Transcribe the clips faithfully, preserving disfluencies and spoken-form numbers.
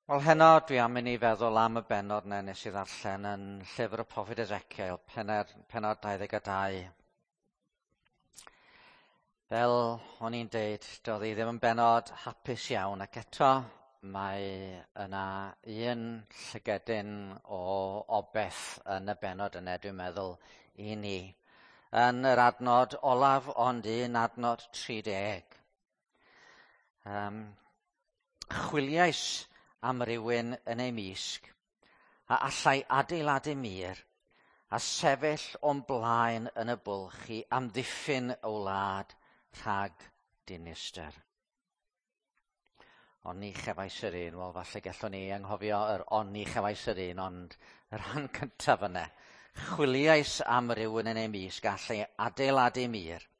Wel, heno dwi am i ni feddwl am y bennod 'na nes i ddarllen yn llyfr y proffwyd Ezekiel, penod, pennod dau ddeg a dau. Fel o'n i'n deud, doedd hi ddim yn bennod hapus iawn, ac eto mae yna un llygedyn o obeth yn y bennod yna, dwi'n meddwl, i ni. Yn yr adnod olaf, ond un adnod tri deg. Um, chwiliais am rywun yn ei misg, a allai adeiladu mur, a sefyll o'n blaen yn y bwlch i amddiffyn y wlad rhag dinistr. Ond ni chefais yr un, wel falle gallwn ni anghofio yr ond ni chefais yr un, ond y rhan cyntaf yna. Chwiliais am rywun yn ei misg, allai adeiladu mur,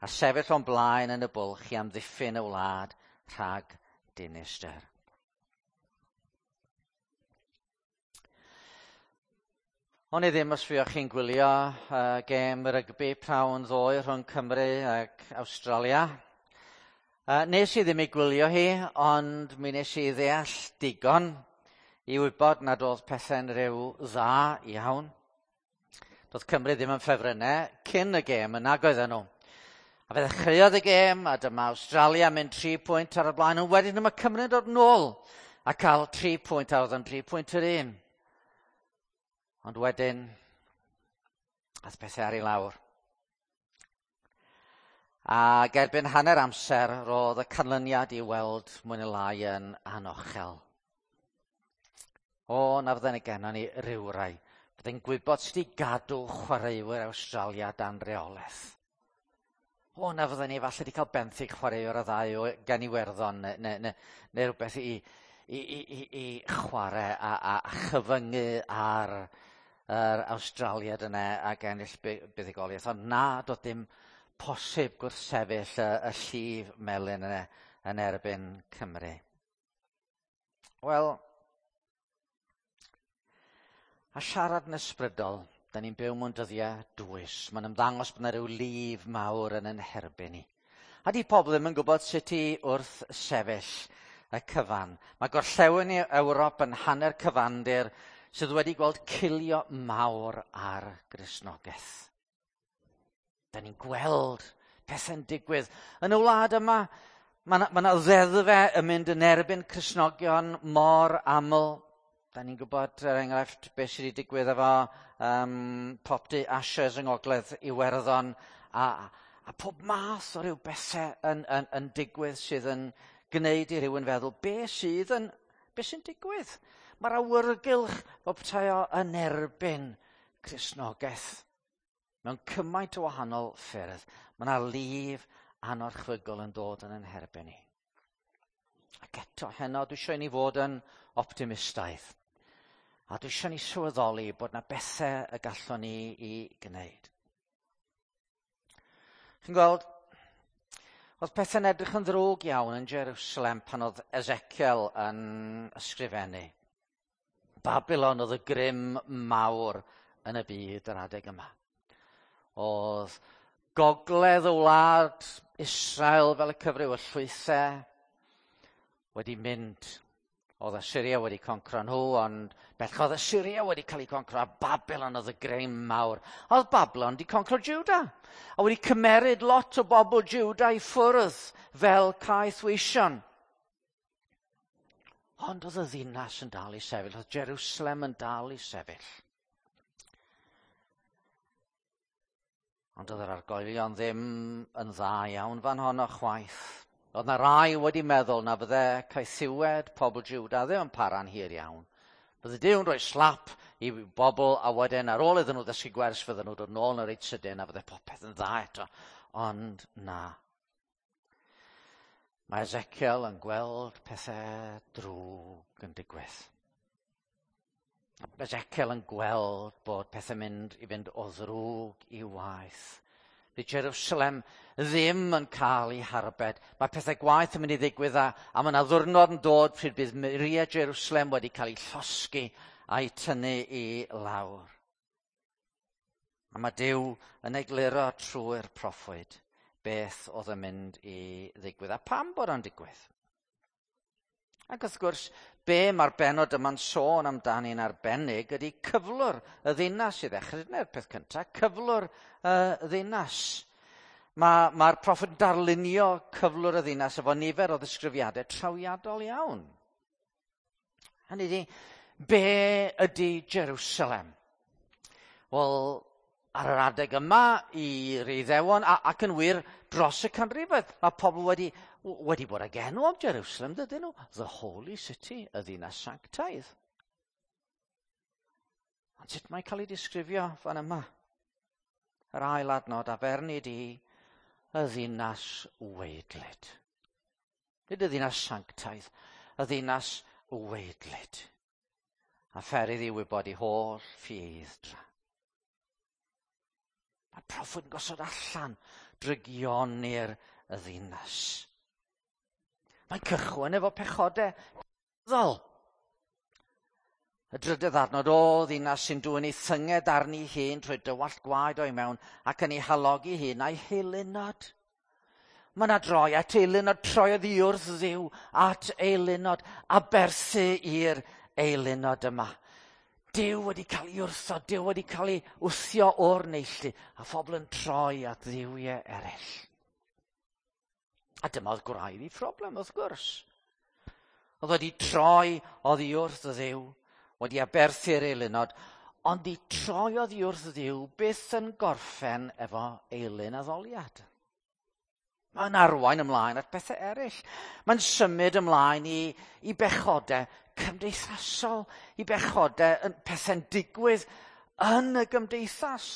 a sefyll o'n blaen yn y bwlch i amddiffyn y wlad rhag dinistr. O'n i ddim os fuoch chi'n gwylio uh, gêm rygbi prawn ddoe rhwng Cymru ac Awstralia. Uh, nes i ddim ei gwylio hi, ond mi nes i ddeall digon i wybod nad oedd pethau'n rhyw dda iawn. Doedd Cymru ddim yn ffefrynnau cyn y gêm yna oedden nhw. A fe ddechreuodd y gêm, a dyma Awstralia mynd tri pwynt ar y blaen, ond wedyn dyma Cymru'n dod nôl a cael tri pwynt, a oedd yn tri pwynt yr un. Ond wedyn, ath pethau ar ei lawr. Ac erbyn hanner amser, roedd y canlyniad i weld mwy neu lai yn anochel. O, na fydden ni gennon ni rywrai. Fydde'n gwybod sut i gadw chwaraewyr Awstralia dan reolaeth. O, na fydden ni falle wedi cael benthyg chwaraewr y ddau o gan Iwerddon neu, neu, neu, neu rhywbeth i, i, i, i, i chwarae a, a, a chyfyngu ar yr Awstraliad yna ac ennill buddugoliaeth. Ond na, doedd dim posib gwrthsefyll y, y llif melyn yna yn erbyn Cymru. Wel, a siarad yn ysbrydol, da ni'n byw mewn dyddiau dwys. Mae'n ymddangos bod yna rhyw lif mawr yn yn herbyn ni. A di pobl ddim yn gwybod sut i wrth sefyll y cyfan. Mae gorllewin Ewrop yn hanner cyfandir sydd wedi gweld cilio mawr ar Gristnogaeth. Da ni'n gweld pethau'n digwydd. Yn y wlad yma, mae yna ma ddeddfau yn mynd yn erbyn Cristnogion mor aml. Da ni'n gwybod, er enghraifft, beth sydd wedi digwydd efo um, Popty Ashes yng Ngogledd Iwerddon, a, a pob math o ryw bethau yn, yn, yn digwydd sydd yn gwneud i rywun feddwl, be sydd yn, be sy'n digwydd? Mae'r awyrgylch fel petai o yn erbyn Cristnogaeth mewn cymaint o wahanol ffyrdd. Mae yna lif anorchfygol yn dod yn yn herbyn ni. Ac eto heno, dwi eisiau i ni fod yn optimistaidd. A dwi eisiau ni sylweddoli bod yna bethau y gallwn ni i gwneud. Chi'n gweld, oedd pethau'n edrych yn ddrwg iawn yn Jerusalem pan oedd Ezekiel yn ysgrifennu. Babylon oedd y grym mawr yn y byd yr adeg yma. Oedd gogledd y wlad Israel fel y cyfryw y llwythau wedi mynd. Oedd Assyria wedi concro nhw, ond bellach oedd Assyria wedi cael ei concro, a Babylon oedd y grym mawr. Oedd Babylon wedi concro Juda, a wedi cymeryd lot o bobl Juda i ffwrdd fel caethweision. Ond oedd y ddinas yn dal i sefyll, oedd Jerusalem yn dal i sefyll. Ond oedd yr argoelion ddim yn dda iawn fan honno chwaith. Oedd na rai wedi meddwl na fydde caethiwed pobl Juda ddim yn para'n hir iawn. Bydde Duw'n rhoi slap i bobl a wedyn ar ôl iddyn nhw ddysgu gwers fydden nhw dod nôl yn reit sydyn a fydde popeth yn dda eto. Ond na. Mae Ezekiel yn gweld pethau drwg yn digwydd. Mae Ezekiel yn gweld bod pethau'n mynd i fynd o ddrwg i waeth. Fydd Jerusalem ddim yn cael ei harbed. Mae pethau gwaeth yn mynd i ddigwydd a, a mae yna ddiwrnod yn dod pryd bydd muriau Jerusalem wedi cael ei llosgi a'i tynnu i lawr. A mae Duw yn egluro trwy'r proffwyd beth oedd yn mynd i ddigwydd. A pam bod o'n digwydd? Ac wrth gwrs, be mae'r benod yma'n sôn amdani'n arbennig ydy cyflwr y ddinas i ddechrau. Dyna'r peth cyntaf, cyflwr y ddinas. Mae'r ma proffwyd yn darlunio cyflwr y ddinas efo nifer o ddisgrifiadau trawiadol iawn. Hynny ydi, be ydy Jerusalem? Wel, ar yr adeg yma i'r Iddewon, a, ac yn wir dros y canrifoedd, mae pobl wedi, wedi bod ag enw am Jerusalem, dydyn nhw? The Holy City, y ddinas sanctaidd. Ond sut mae'n cael ei disgrifio fan yma? Yr ail adnod, a ferni di y ddinas weidlyd. Nid y ddinas sanctaidd, y ddinas weidlyd. A pherydd i wybod i holl ffieidd-dra. Mae'r proffwyd yn gosod allan drygioni'r y ddinas. Mae'n cychwyn efo pechodau ddol. Y drydydd adnod, o ddinas sy'n dwyn ei thynged arni hun trwy dywallt gwaed o'i mewn ac yn ei halogi hun a'i heilunod. Mae yna droi at eilunod, troi oddi wrth Dduw at eilunod, aberthu i'r eilunod yma. Duw wedi cael ei wrthod, Duw wedi cael ei wthio o'r neilltu, a phobl yn troi at dduwiau eraill. A dyma oedd gwraidd ei phroblem, wrth gwrs. Oedd wedi troi oddi wrth Dduw, wedi aberthu'r eilunod, ond i troi oddi wrth Dduw byth yn gorffen efo eilun addoliad. Mae'n arwain ymlaen at bethau eraill. Mae'n symud ymlaen i, i bechodau cymdeithasol, i bechodau yn pethau'n digwydd yn y gymdeithas.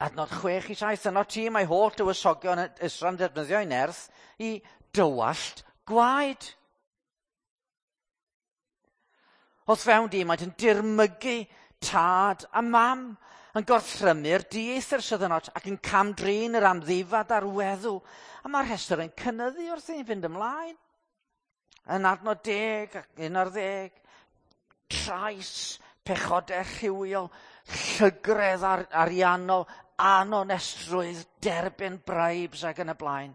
Adnod chwech i saith, yno ti mae holl dywysogion Israel yn defnyddio ei nerth i dywallt gwaed. Wrth fewn di, mae'n dirmygu tad a mam, yn gorthrymu'r dieithr sydd yno ac yn camdrin yr amddifad a'r weddw. A mae'r rhestr yn cynyddu wrth i ni fynd ymlaen. Yn adnod deg ac un ar ddeg, trais, pechodau rhywiol, llygredd ar, ariannol, anonestrwydd, derbyn bribes ac yn y blaen.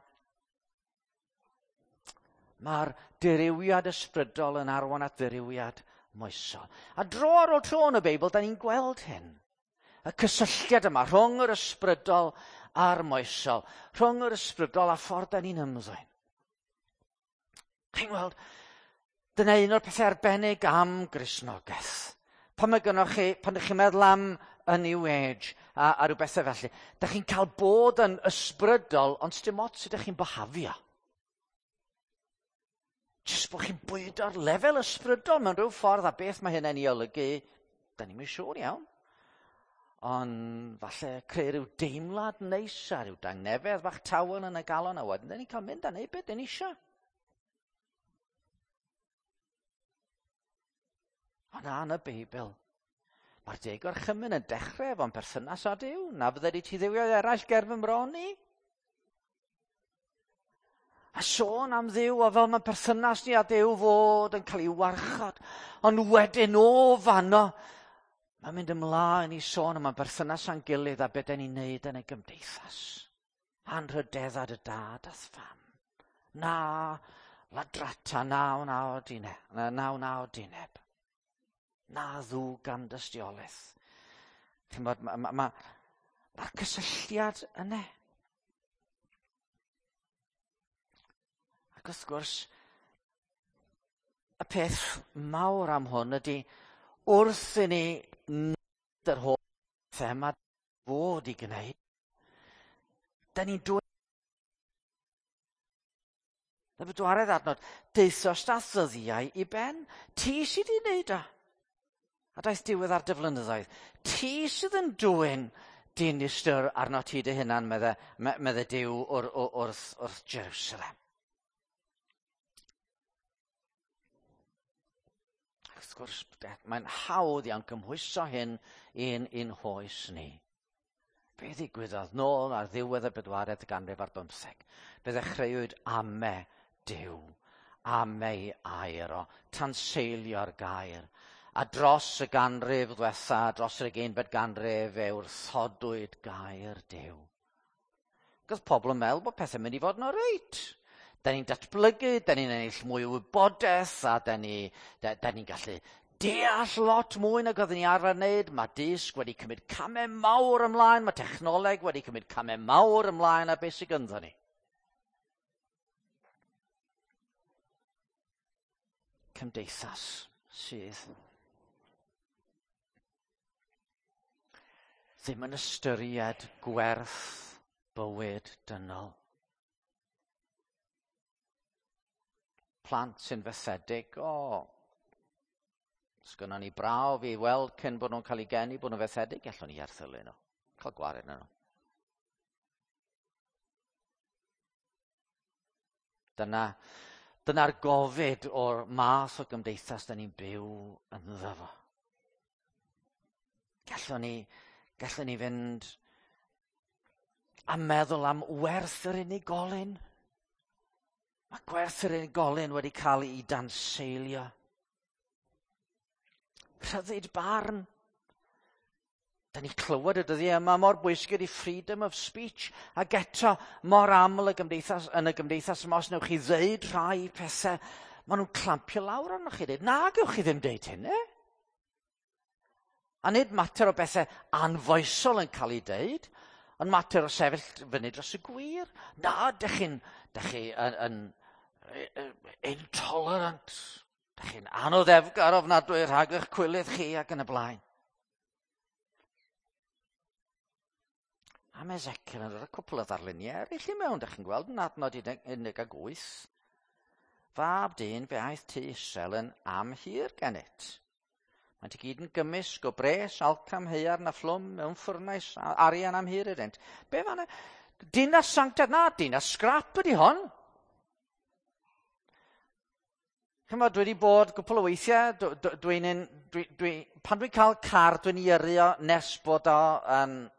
Mae'r dirywiad ysbrydol yn arwain at ddirywiad moesol. A dro ar ôl tro yn y Beibl, da ni'n gweld hyn. Y cysylltiad yma rhwng yr ysbrydol a'r moesol, rhwng yr ysbrydol a ffordd da ni'n ymddwyn. Chi'n gweld, dyna un o'r pethau arbennig am Gristnogaeth. Pan mae gynnoch chi, pan ydych chi'n meddwl am y New Age a, a rhyw bethau felly, da chi'n cael bod yn ysbrydol, ond sdim ots sut ydych chi'n byhafio. Jyst bod chi'n bwydo'r lefel ysbrydol mewn rhyw ffordd, a beth mae hynny'n ei olygu, da ni'm yn siŵr iawn. Ond falle creu rhyw deimlad neis a rhyw dangnefedd bach tawel yn y galon, a wedyn da ni'n cael mynd a neud beth da ni eisiau. Ond na, yn y Beibl, mae'r deg orchymyn yn dechrau efo'n perthynas â Duw. Na fydde di ti dduwiau eraill ger fy mron i. A sôn am Dduw, a fel mae perthynas ni â Duw fod yn cael ei warchod. Ond wedyn o fanno, mae'n mynd ymlaen i sôn am y berthynas â'n gilydd a beth da ni'n neud yn y gymdeithas. Anrhydedda dy dad a'th fam. Na ladrata, na wna odineb, na wna odineb. Na ddwg am dystiolaeth. Chi'n bod, mae'r ma, ma, ma cysylltiad yna. Ac wrth gwrs, y peth mawr am hwn ydy, wrth i ni wneud yr holl pethau yma fod i gwneud, da ni'n dweud y bedwaredd adnod, deuthost â ddyddiau i ben, ti sydd wedi wneud o. A daeth diwedd ar dy flynyddoedd. Ti sydd yn dwyn dinistr arno ti dy hunan, medde, medde Duw wr, wr, wrth, wrth Jerusalem. Ac wrth gwrs, mae'n hawdd iawn cymhwyso hyn i'n un hoes ni. Be ddigwyddodd nôl ar ddiwedd y bedwaredd ganrif ar bymtheg? Fe ddechreuwyd ame Duw, ame ei air o, tanseilio'r gair. A dros y ganrif ddwetha, dros yr ugeinfed ganrif, fe wrthodwyd gair Duw. Ac oedd pobl yn meddwl bod pethau'n mynd i fod yn oreit. Da ni'n datblygu, da ni'n ennill mwy o wybodaeth, a da ni'n da, da ni gallu deall lot mwy nag oedden ni arfer wneud. Mae dysg wedi cymryd camau mawr ymlaen, mae technoleg wedi cymryd camau mawr ymlaen, a beth sydd gynddo ni? Cymdeithas sydd ddim yn ystyried gwerth bywyd dynol. Plant sy'n fethedig, o, sgynnon ni brawf i weld cyn bod nhw'n cael eu geni bod nhw'n fethedig, gallwn ni erthylu nhw, cael gwared nhw. Dyna, dyna'r gofid o'r math o gymdeithas da ni'n byw ynddo fo. Gallwn ni, gallwn ni fynd a meddwl am werth yr unigolyn. Mae gwerth yr unigolyn wedi cael ei danseilio. Rhyddid barn. Da ni clywed y dyddiau yma mor bwysig ydy freedom of speech, ac eto mor aml y gymdeithas, yn y gymdeithas yma, os newch chi ddeud rhai pethau, maen nhw'n clampio lawr arnoch chi. Dweud, na, gewch chi ddim deud hynny. A nid mater o bethau anfoesol yn cael ei deud, ond mater o sefyll fyny dros y gwir. Na, dych chi'n dych chi yn, yn, intolerant, dych chi'n anoddefgar ofnadwy rhag eich cwilydd chi ac yn y blaen. A mae Ezekiel yn rhoi cwpl o ddarluniau eraill i mewn, dych chi'n gweld yn adnod un deg wyth. Fab dyn, fe aeth tŷ Israel yn amhur gennyt. Maent i gyd yn gymysg o bres, alcam, haearn a phlwm mewn ffwrnais arian amhur iddynt. Be fanna? Dinas sanctaidd? Na, dinas sgrap ydy hon. Chymod, dwi wedi bod gwpl o weithiau, dwi'n, dwi, dwi, pan dwi'n cael car, dwi'n ei yrru o nes bod o yn... Um,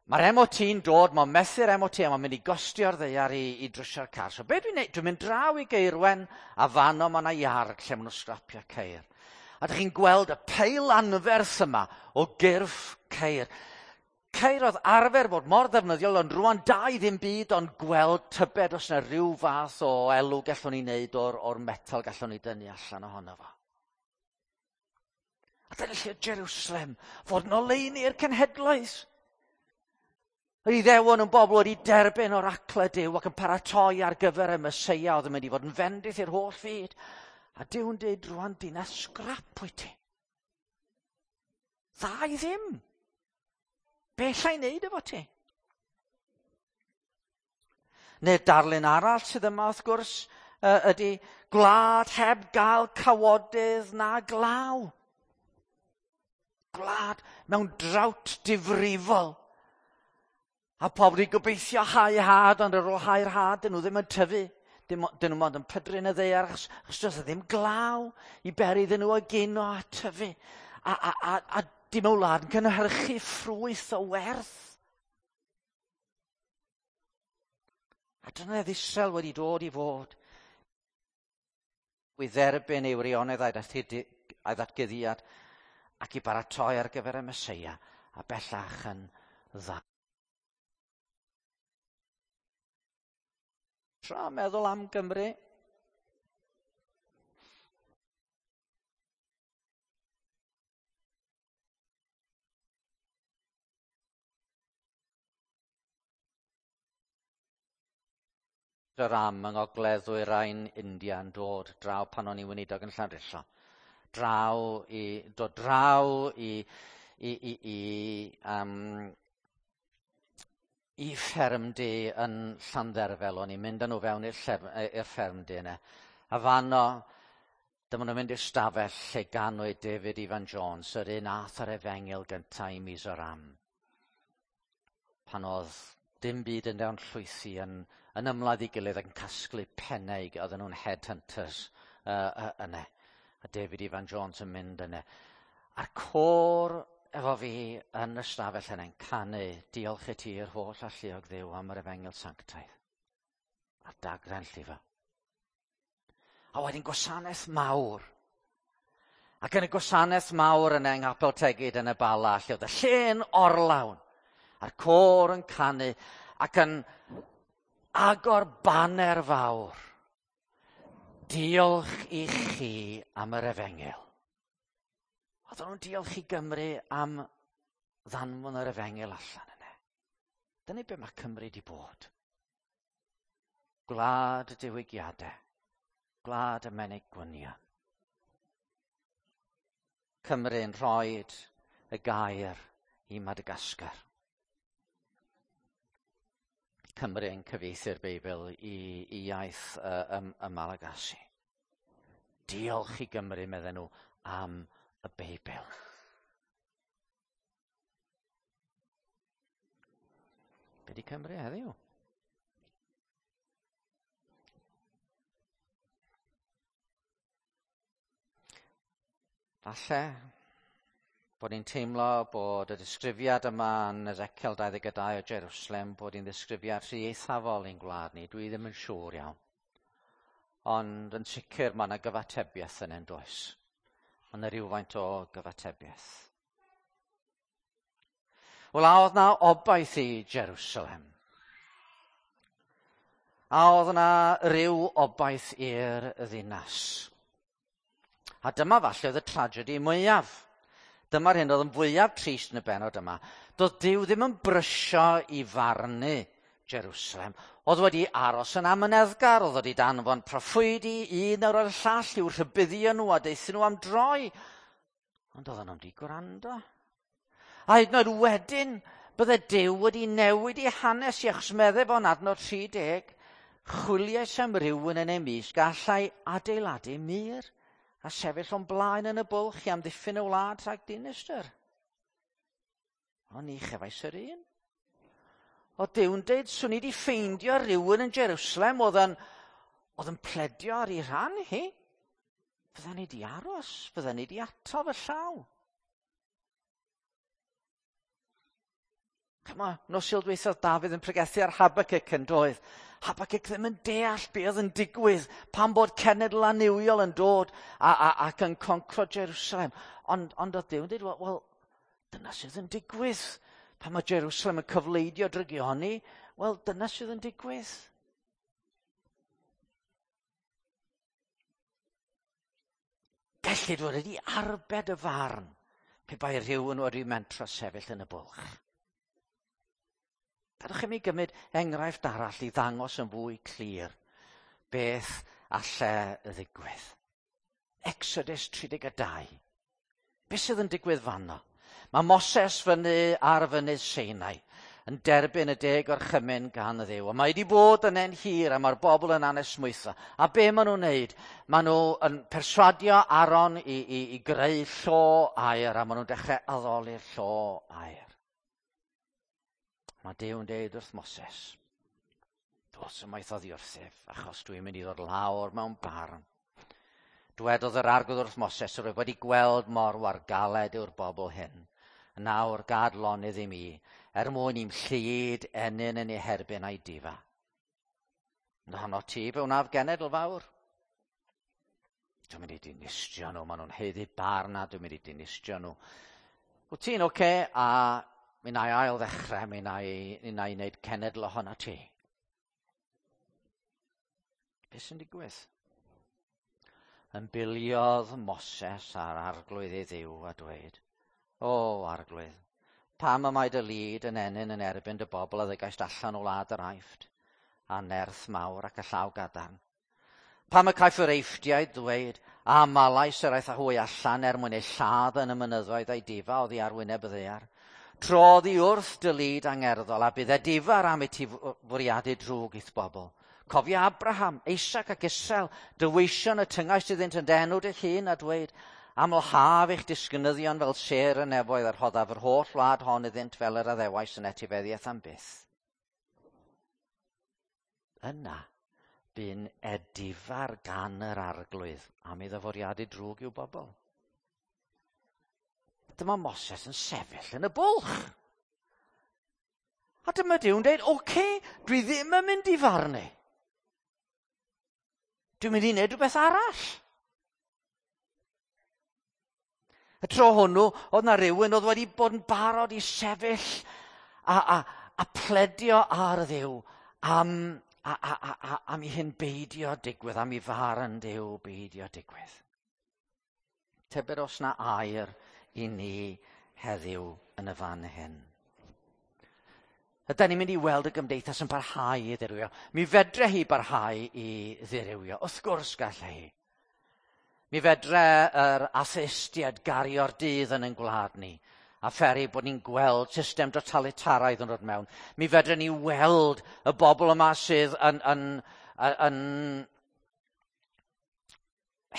Mae'r M O T'n dod, mae'n methu'r M O T a mae'n mynd i gostio'r ddaear i, i drwsio'r car. So be dwi'n neud? Dwi'n mynd draw i Geirwen a fanno mae yna iard lle maen nhw'n sgrapio ceir. A dych chi'n gweld y peil anferth yma o gyrff ceir. Ceir oedd arfer bod mor ddefnyddiol, ond rwan da i ddim byd ond gweld tybed os yna rhyw fath o elw gallwn ni wneud o'r, or metal gallwn ni dynnu allan ohono fo. A dyna lle Jerusalem, fod yn oleuni i'r cenhedloedd. Yr Iddewon yn bobl wedi derbyn o'r acle Duw ac yn paratoi ar gyfer y Meseia oedd yn mynd i fod yn fendith i'r holl fyd. A Duw'n dweud rwan dinas sgrap wyt ti. Dda i ddim. Be alla i wneud efo ti? Neu darlun arall sydd yma wrth gwrs ydy gwlad heb gael cawodydd na glaw. Gwlad mewn drought difrifol. A pobl wedi gobeithio hau had, ond ar ôl hau'r had, dyn nhw ddim yn tyfu. Dyn nhw mond yn pydru yn y ddaear, achos, achos does ddim glaw i beri iddyn nhw egino a tyfu. A, a, a, a dim o wlad yn cynhyrchu ffrwyth o werth. A dyna oedd Israel wedi dod i fod. I dderbyn ei wirionedd a'i ddatguddiad ac i baratoi ar gyfer y Meseia, a bellach yn dda. Tra meddwl am Gymru. Yr am yng Ngogledd Ddwyrain India yn dod draw pan o'n i'n weinidog yn Llandrillo. Draw i, dod draw i, i, i, i um, i ffermdy yn Llandderfel, o'n i'n mynd â nhw fewn i'r ffermdy yna. A fanno, dyma nhw'n mynd i'r stafell lle ganwyd David Ifan Jones, yr un ath ar efengyl gyntaf i Mizoram. Pan oedd dim byd yn dewn llwythi yn, yn ymladd i gilydd ac yn casglu pennau, oedden nhw'n headhunters uh, uh, yna. A David Ifan Jones yn mynd yna. A'r côr efo fi yn y stafell yna'n canu, diolch i ti i'r holl alluog Dduw am yr efengyl sanctaidd. A'r dagre'n llifo. A wedyn gwasanaeth mawr. Ac yn y gwasanaeth mawr yna yng Nghapel Tegid yn y Bala, lle oedd y lle'n orlawn, a'r côr yn canu, ac yn agor baner fawr. Diolch i chi am yr efengyl. Oedden nhw'n diolch i Gymru am ddanfon yr efengyl allan yna. Dyna be mae Cymru wedi bod. Gwlad y diwygiadau. Gwlad y menig gwynion. Cymru'n rhoi y gair i Madagascar. Cymru yn cyfieithu'r Beibl i, i iaith uh, y, y Malagasy. Diolch i Gymru, medden nhw, am y Beibl. Be di Cymru heddiw? Falle bod ni'n teimlo bod y disgrifiad yma yn Ezekiel dau ddeg dau o Jerusalem, bod hi'n ddisgrifiad rhy eithafol i'n gwlad ni. Dwi ddim yn siŵr iawn. Ond yn sicr mae yna gyfatebiaeth yn does. Mae yna rhywfaint o gyfatebiaeth. Wel, a oedd na obaith i Jerusalem? A oedd na ryw obaith i'r ddinas? A dyma falle oedd y tragedy mwyaf. Dyma'r hyn oedd yn fwyaf trist yn y bennod yma. Doedd Duw ddim yn brysio i farnu Jerusalem. Oedd wedi aros yn amyneddgar, oedd wedi danfon proffwydi un ar ôl y llall i'w rhybuddio nhw a deuthon nhw am droi. Ond oedden nhw'n di gwrando. A hyd yn oed wedyn, bydde Duw wedi newid ei hanes i achos meddai fo'n adnod tri deg, chwiliais am rywun yn ei mysg gallai adeiladu mur a sefyll o'n blaen yn y bwlch i amddiffyn y wlad rhag dinistr. Ond ni chefais yr un. O Duw'n deud, swn i wedi ffeindio rhywun yn Jerusalem oedd yn, oedd yn pledio ar ei rhan hi. Fydden ni wedi aros, fydden ni wedi ato fy llaw. Chyma, nos Sul dwytha Dafydd yn pregethu ar Habacuc yn doedd. Habacuc ddim yn deall be oedd yn digwydd pan bod cenedl annuwiol yn dod a, a, ac yn concro Jerusalem. Ond, ond oedd Duw yn dweud, wel, well, dyna sydd yn digwydd. Pan mae Jerusalem yn cyfleidio drygioni, wel, dyna sydd yn digwydd. Gellid fod wedi arbed y farn pe bai rhywun wedi mentro sefyll yn y bwlch. Gadewch i mi gymryd enghraifft arall i ddangos yn fwy clir beth alle ddigwydd. Exodus tri deg dau. Beth sydd yn digwydd fanno? Mae Moses fyny ar fynydd Sinai yn derbyn y deg orchymyn gan y Dduw. A mae wedi bod yn en hir a mae'r bobl yn anesmwytho. A be maen nhw'n wneud? Maen nhw yn perswadio Aaron i, i, i greu llo aur a maen nhw'n dechrau addoli'r llo aur. Mae Duw yn deud wrth Moses, dos ymaith oddi wrthyf, achos dwi'n mynd i ddod lawr mewn barn. Dwedodd yr Arglwydd wrth Moses, yr oedd wedi gweld mor wargaled yw'r bobl hyn. Nawr gad lonydd i mi, er mwyn i'm llid ennyn yn ei herbyn a'i difa. Ond ti fe wnaf genedl fawr. Dwi'n mynd i dinistrio nhw, maen nhw'n haeddu barn a dwi'n mynd i dinistrio nhw. Wyt ti'n oce, okay, a mi na i ail ddechrau, mi na i, mi na i wneud cenedl ohono ti. Beth sy'n digwydd? Ymbiliodd Moses ar Arglwydd ei Dduw a dweud, O Arglwydd, pam y mae dy lid yn ennyn yn erbyn dy bobl a ddygaist allan o wlad yr Aifft, a nerth mawr ac y llaw gadarn? Pam y caiff yr Eifftiaid ddweud, a malais yr aeth â hwy allan er mwyn eu lladd yn y mynyddoedd a'i difa oddi ar wyneb y ddaear? Trodd i wrth dy lid angerddol a bydd edifar am i ti fwriadu drwg i'th bobl. Cofia Abraham, Isaac ac Israel, dy weision y tyngaist iddynt yn dy enw dy hun a dweud, amlhaf eich disgynyddion fel sêr y nefoedd a rhoddaf yr holl wlad hon iddynt fel yr addewais yn etifeddiaeth am byth. Yna, bu'n edifar gan yr Arglwydd am iddo fwriadu drwg i'w bobl. Dyma Moses yn sefyll yn y bwlch. A dyma Duw'n dweud, oce, okay, dwi ddim yn mynd i farnu. Dwi'n mynd i wneud rhywbeth arall. Y tro hwnnw, oedd na rhywun oedd wedi bod yn barod i sefyll a, a, a pledio ar Dduw am, a, a, a, a, am i hyn beidio digwydd, am i farn Duw beidio digwydd. Tybed os na air i ni heddiw yn y fan hyn. Ydy ni'n mynd i weld y gymdeithas yn parhau i ddirywio. Mi fedre hi barhau i ddirywio. Wrth gwrs gallai hi. Mi fedre yr atheistiaid gario'r dydd yn ein gwlad ni, a pheri bod ni'n gweld system totalitaraidd yn dod mewn. Mi fedre ni weld y bobl yma sydd yn, yn, yn, yn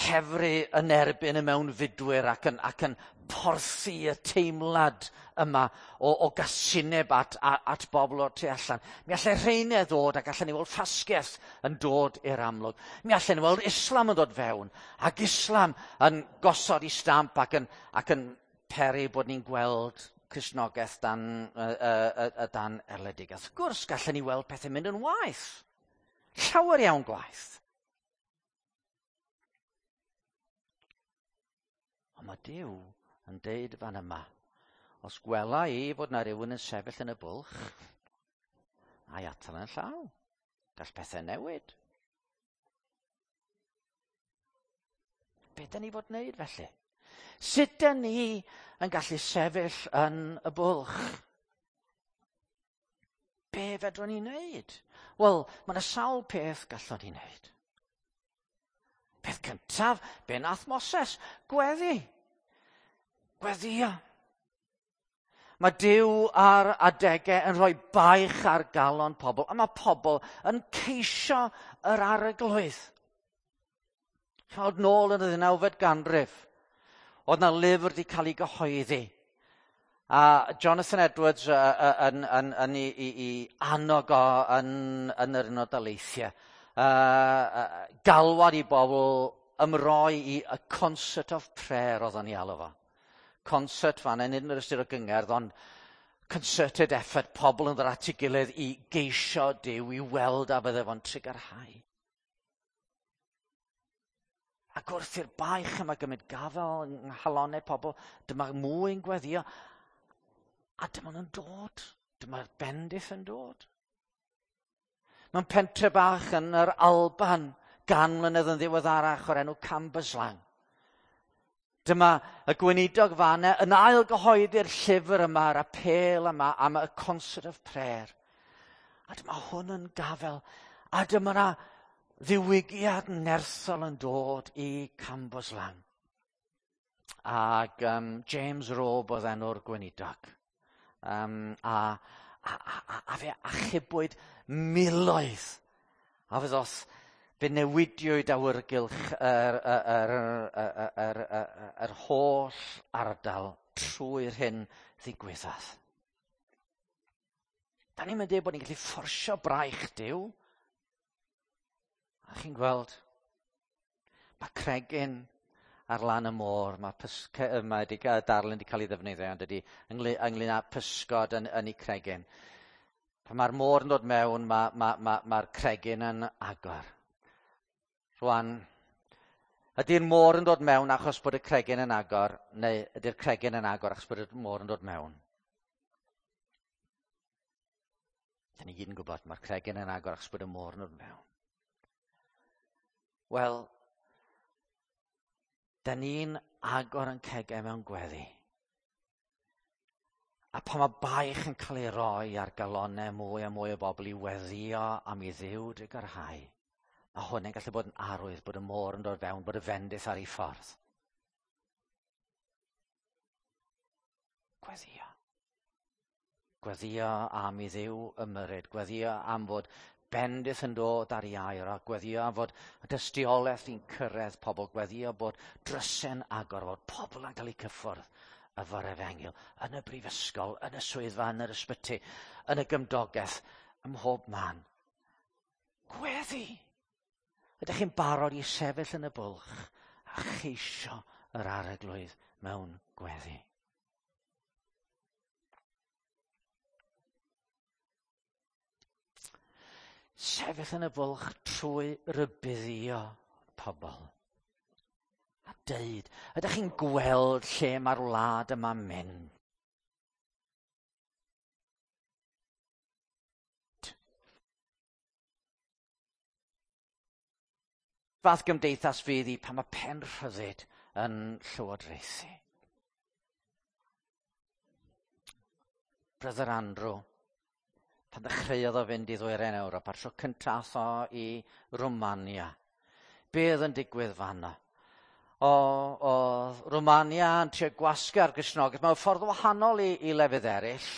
hefru yn erbyn y mewnfudwyr ac yn, ac yn porthi y teimlad yma o, o gasineb at, at, at bobl o'r tu allan. Mi allai rheinau ddod ac allan ni weld ffasgaeth yn dod i'r amlwg. Mi allan ni weld Islam yn dod fewn ac Islam yn gosod i stamp ac yn, ac yn peri bod ni'n gweld Cristnogaeth dan, uh, uh, uh, dan erledigaeth. Wrth gwrs, gallen ni weld pethau mynd yn waeth. Llawer iawn gwaeth. Ond mae Duw yn deud fan yma, os gwela i fod na rhywun yn sefyll yn y bwlch, a'i atal yn llaw. Gall pethau newid. Be dyn ni fod wneud felly? Sut dyn ni yn gallu sefyll yn y bwlch? Be fedrwn ni wneud? Wel, mae yna sawl peth gallwn ni wneud. Peth cyntaf, be nath Moses? Gweddi. Gweddïo. Mae Duw ar adegau yn rhoi baich ar galon pobl, a mae pobl yn ceisio yr arglwydd. Chawd nôl yn y ddeunawfed ganrif, oedd na lyfr wedi cael ei gyhoeddi. A Jonathan Edwards uh, uh, yn, yn, yn, yn, i, i annog o yn, yn yr Unol Daleithiau. Uh, uh, galwad i bobl ymroi i a concert of prayer oedd o'n i alw fo. Concert fan hyn, nid yn yr ystyr o gyngerdd, ond concerted effort, pobl yn ddod at ei gilydd i geisio Duw, i weld a fydde fo'n trugarhau. Ac wrth i'r baich yma gymryd gafael yng nghalonnau pobl, dyma mwy yn gweddio, a dyma nhw'n dod, dyma'r bendith yn dod. Mewn pentre bach yn yr Alban, gan mlynedd yn ddiweddarach o'r enw Cambuslang. Dyma y gweinidog fanna yn ail gyhoeddi'r llyfr yma, yr apêl yma am y concert of prayer. A dyma hwn yn gafel. A dyma na ddiwygiad nerthol yn dod i Cambuslang. Ac um, James Robe oedd enw'r gweinidog. Um, a, a, a, a fe achubwyd miloedd. A fe ddoth, fe newidiwyd awyrgylch yr, yr, yr, yr, yr, yr, yr holl ardal trwy'r hyn ddigwyddodd. Da ni'n mynd bod ni'n gallu fforsio braich Duw. A chi'n gweld, mae cregyn ar lan y môr, mae, pysg- mae di, darlun wedi cael ei ddefnyddio, ond ydy, ynglyn, ynglyn â pysgod yn, yn ei cregyn. Pan mae'r môr yn dod mewn, mae'r ma, ma, ma cregyn yn agor. Rwan, ydy'r môr yn dod mewn achos bod y cregyn yn agor, neu ydy'r cregyn yn agor achos bod y môr yn dod mewn? Da ni gyd yn gwybod, mae'r cregyn yn agor achos bod y môr yn dod mewn. Wel, da ni'n agor yn cegau mewn gweddi. A pan mae baich yn cael ei roi ar galonnau mwy a mwy o bobl i weddio am i Dduw drugarhau, mae hwn yn gallu bod yn arwydd bod y môr yn dod fewn, bod y fendith ar ei ffordd. Gweddio. Gweddio am i Dduw ymyrryd, gweddio am fod bendith yn dod ar ei air, a gweddio am fod y dystiolaeth yn cyrraedd pobl, gweddio bod drysau'n agor, bod pobl yn cael eu cyffwrdd efo'r efengyl, yn y brifysgol, yn y swyddfa, yn yr ysbyty, yn y gymdogaeth, ym mhob man. Gweddi! Ydych chi'n barod i sefyll yn y bwlch a cheisio yr arglwydd mewn gweddi? Sefyll yn y bwlch trwy rybuddio pobl. A deud, ydych chi'n gweld lle mae'r wlad yma'n mynd? fath gymdeithas fydd hi pan mae pen rhyddid yn llywodraethu? Brother Andrew, pan ddechreuodd o fynd i ddwyrain Ewrop, a'r tro cyntaf o i Romania, be oedd yn digwydd fanna? O, oedd Romania yn trio gwasgu ar Gristnogaeth mewn ffordd wahanol i, i lefydd eraill.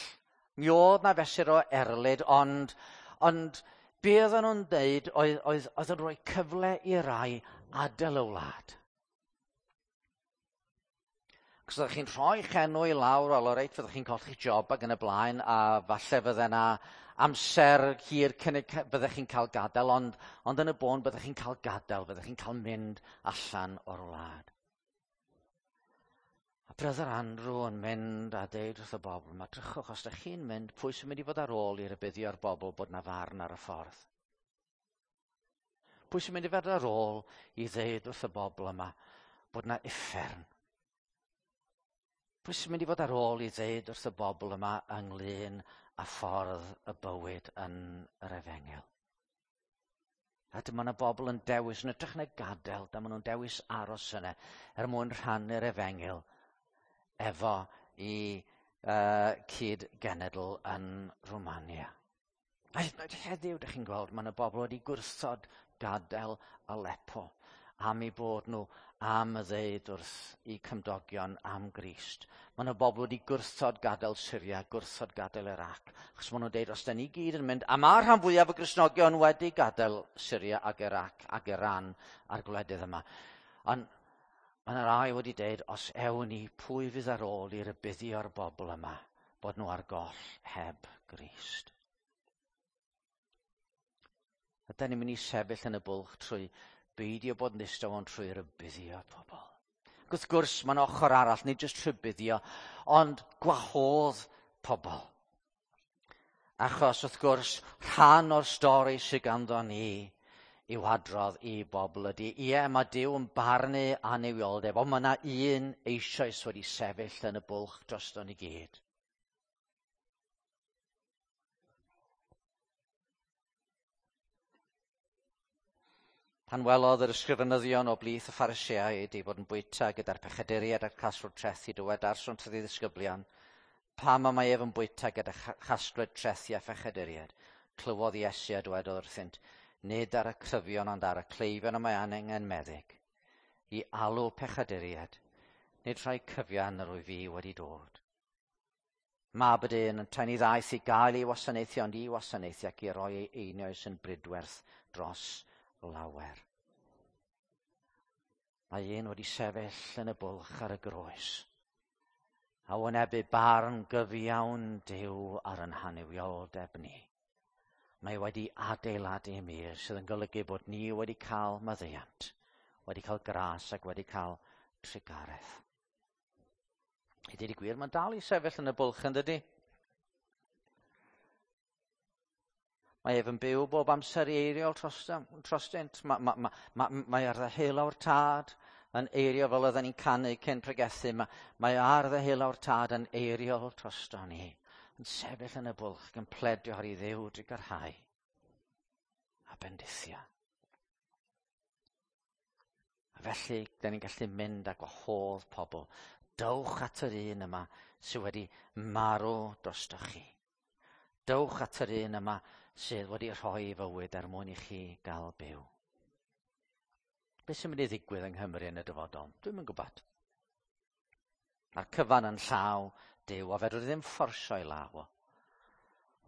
Mi oedd na fesur o erlid, ond, ond be oedden nhw'n dweud oedd, oedd, oedd yn rhoi cyfle i rai adael y wlad. Cos oeddech chi'n rhoi'ch enw i lawr, wel, o reit, fyddech chi'n colli'ch job ac yn y blaen, a falle fydde yna amser hir cyn y byddech chi'n cael gadael, ond, ond yn y bôn byddech chi'n cael gadael, byddech chi'n cael mynd allan o'r wlad. A Brother Andrew yn mynd a deud wrth y bobl, mae drychwch, os ydych chi'n mynd, pwy sy'n mynd i fod ar ôl i rybuddio'r bobl bod na farn ar y ffordd? Pwy sy'n mynd i fod ar ôl i ddeud wrth y bobl yma bod na uffern? Pwy sy'n mynd i fod ar ôl i ddeud wrth y bobl yma ynglyn â ffordd y bywyd yn yr efengyl? A dyma yna bobl yn dewis, yn ytrach na gadael, dyma nhw'n dewis aros yna er mwyn rhannu'r efengyl efo i uh, cyd-genedl yn Romania. A hyd yn oed heddiw, ydych chi'n gweld, mae yna bobl wedi gwrthod gadael Aleppo am eu bod nhw am y ddeud wrth eu cymdogion am Grist. Mae yna bobl wedi gwrthod gadael Syria, gwrthod gadael Iraq, achos maen nhw'n deud, os da ni gyd yn mynd, a mae'r rhan fwyaf o Gristnogion wedi gadael Syria ac Iraq ac Iran a'r gwledydd yma. Ond mae yna rai wedi deud, os ewn ni, pwy fydd ar ôl i rybuddio'r bobl yma bod nhw ar goll heb Grist? Ydy ni'n mynd i sefyll yn y bwlch trwy beidio bod yn ddistaw ond trwy rybuddio pobl. Ac wrth gwrs, mae'n ochr arall, nid jyst rhybuddio, ond gwahodd pobl. Achos wrth gwrs, rhan o'r stori sydd ganddo ni i'w adrodd i bobl ydy, ie, mae Duw yn barnu annuwioldeb, ond mae yna un eisoes wedi sefyll yn y bwlch drosto ni gyd. Pan welodd yr ysgrifenyddion o blith y Phariseaid ei fod yn bwyta gyda'r pechaduriaid a'r casglwr trethi, dywedarsont wrth ei ddisgyblion, pam y mae ef yn bwyta gyda chasglwr trethi a phechaduriaid? Clywodd Iesu a dywedodd wrthynt, nid ar y cryfion ond ar y cleifion y mae angen meddyg, i alw pechaduriaid, nid rhai cyfian yr wyf fi wedi dod. Mab y dyn yntau ni ddaeth i gael ei wasanaethu, ond i wasanaethu ac i roi ei einioes yn bridwerth dros lawer. Mae un wedi sefyll yn y bwlch ar y groes, a wynebu barn gyfiawn Duw ar yn hannuwioldeb ni. Mae wedi adeiladu mur sydd yn golygu bod ni wedi cael maddeuant, wedi cael gras ac wedi cael trugaredd. I dweud y gwir, mae'n dal i sefyll yn y bwlch yn dydy? Mae ef yn byw bob amser i eiriol trostynt. Mae, ma, ma, ma, mae ar ddeheulaw'r tad yn eirio fel oedden ni'n canu cyn pregethu. Mae, mae ar ddeheulaw'r tad yn eiriol drosto ni. Yn sefyll yn y bwlch yn pledio ar ei Dduw drugarhau a bendithio. A felly, da ni'n gallu mynd a gwahodd pobl. Dowch at yr un yma sydd wedi marw drostoch chi. Dowch at yr un yma sydd wedi rhoi ei fywyd er mwyn i chi gael byw. Beth sy'n mynd i ddigwydd yng Nghymru yn y dyfodol? Dwi'm yn gwybod. Mae'r cyfan yn llaw Duw, a fedrwn ni ddim fforsio ei law o.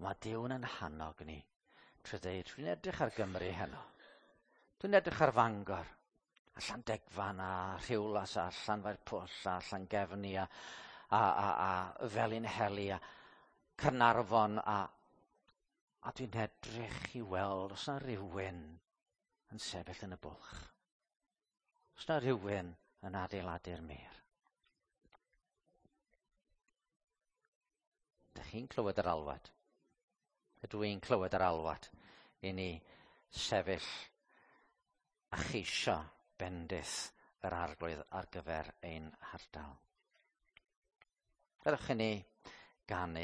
Mae Duw yn hannog ni trwy ddeud, dwi'n edrych ar Gymru heno. Dwi'n edrych ar Fangor, a Llandegfan, a Rhiwlas, a Llanfairpwll, a Llangefni, a, a, a, a Felinheli, a Caernarfon, a, a dwi'n edrych i weld os na rhywun yn sefyll yn y bwlch. Os na rhywun yn adeiladu'r mur. Dych chi'n clywed yr alwad? Ydw i'n clywed yr alwad i ni sefyll a cheisio bendith yr Arglwydd ar gyfer ein hardal. Gadewch i ni ganu.